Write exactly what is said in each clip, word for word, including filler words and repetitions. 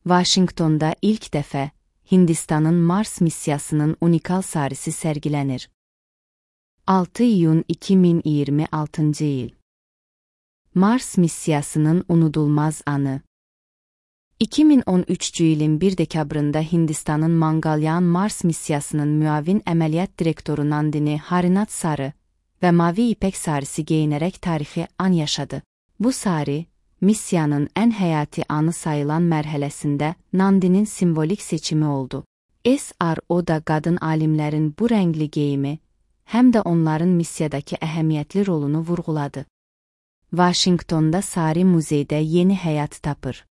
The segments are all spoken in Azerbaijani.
Vaşinqtonda ilk dəfə Hindistanın Mars missiyasının unikal sarisi sərgilənir. altı iyun iki min iyirmi altıncı il. Mars missiyasının unudulmaz anı. iki min on üçüncü ilin bir dekabrında Hindistanın Mangalyan Mars missiyasının müavin əməliyyat direktoru Nandini Harinath sarı və mavi ipək sarisi geyinərək tarixi an yaşadı. Bu sari, missiyanın ən həyati anı sayılan mərhələsində Nandinin simvolik seçimi oldu. S R O-da qadın alimlərin bu rəngli geyimi, həm də onların missiyadakı əhəmiyyətli rolunu vurğuladı. Vaşinqtonda sari muzeydə yeni həyat tapır.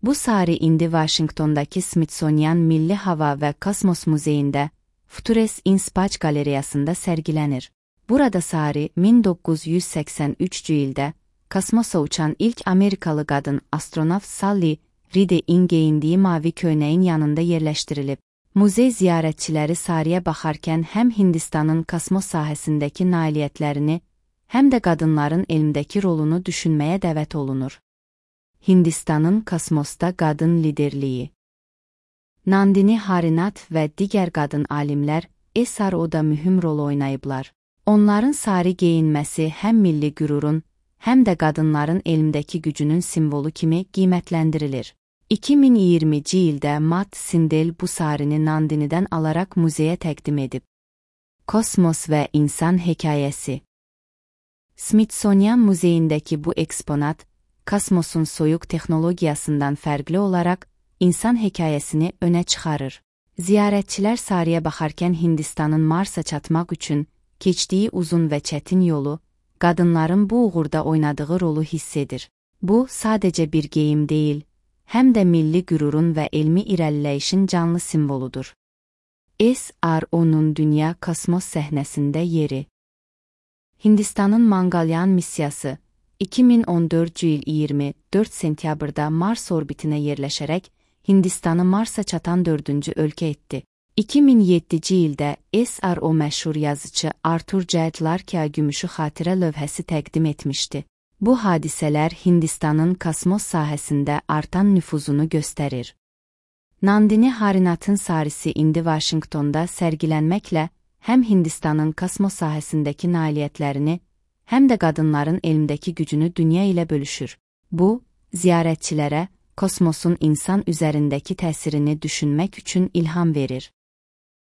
Bu sari indi Vaşinqtondakı Smithsonian Milli Hava və Kosmos Muzeyində Futures in Space qalereyasında sərgilənir. Burada sari min doqquz yüz səksən üçüncü ildə kosmosa uçan ilk Amerikalı qadın astronavt Sally Ride-in geyindiyi mavi köynəyin yanında yerləşdirilib. Muzey ziyarətçiləri sariyə baxarkən həm Hindistanın kosmos sahəsindəki nailiyyətlərini, həm də qadınların elmdəki rolunu düşünməyə dəvət olunur. Hindistanın kosmosda qadın liderliyi. Nandini Harinath və digər qadın alimlər S R O-da mühüm rol oynayıblar. Onların sari geyinməsi həm milli qürurun, həm də qadınların elmdəki gücünün simvolu kimi qiymətləndirilir. iki min iyirminci ildə Matt Sindel bu sarini Nandini'dən alaraq muzeyə təqdim edib. Kosmos və insan hekayəsi. Smithsonian Muzeyindəki bu eksponat, kosmosun soyuq texnologiyasından fərqli olaraq insan hekayəsini önə çıxarır. Ziyarətçilər sariyə baxarkən Hindistanın Marsa çatmaq üçün keçdiyi uzun və çətin yolu, qadınların bu uğurda oynadığı rolu hiss edir. Bu, sadəcə bir geyim deyil, həm də milli qürurun və elmi irəliləyişin canlı simvoludur. S R O-nun dünya kosmos səhnəsində yeri. Hindistanın Mangalyan missiyası iki min on dördüncü il iyirmi dörd sentyabrda Mars orbitinə yerləşərək Hindistanı Marsa çatan dördüncü ölkə etdi. iki min yeddinci ildə S R O məşhur yazıcı Arthur J. Clarke'a gümüşü xatirə lövhəsi təqdim etmişdi. Bu hadisələr Hindistanın kosmos sahəsində artan nüfuzunu göstərir. Nandini Harinathın sarisi indi Vaşinqtonda sərgilənməklə həm Hindistanın kosmos sahəsindəki nailiyyətlərini, həm də qadınların elmdəki gücünü dünya ilə bölüşür. Bu, ziyarətçilərə kosmosun insan üzərindəki təsirini düşünmək üçün ilham verir.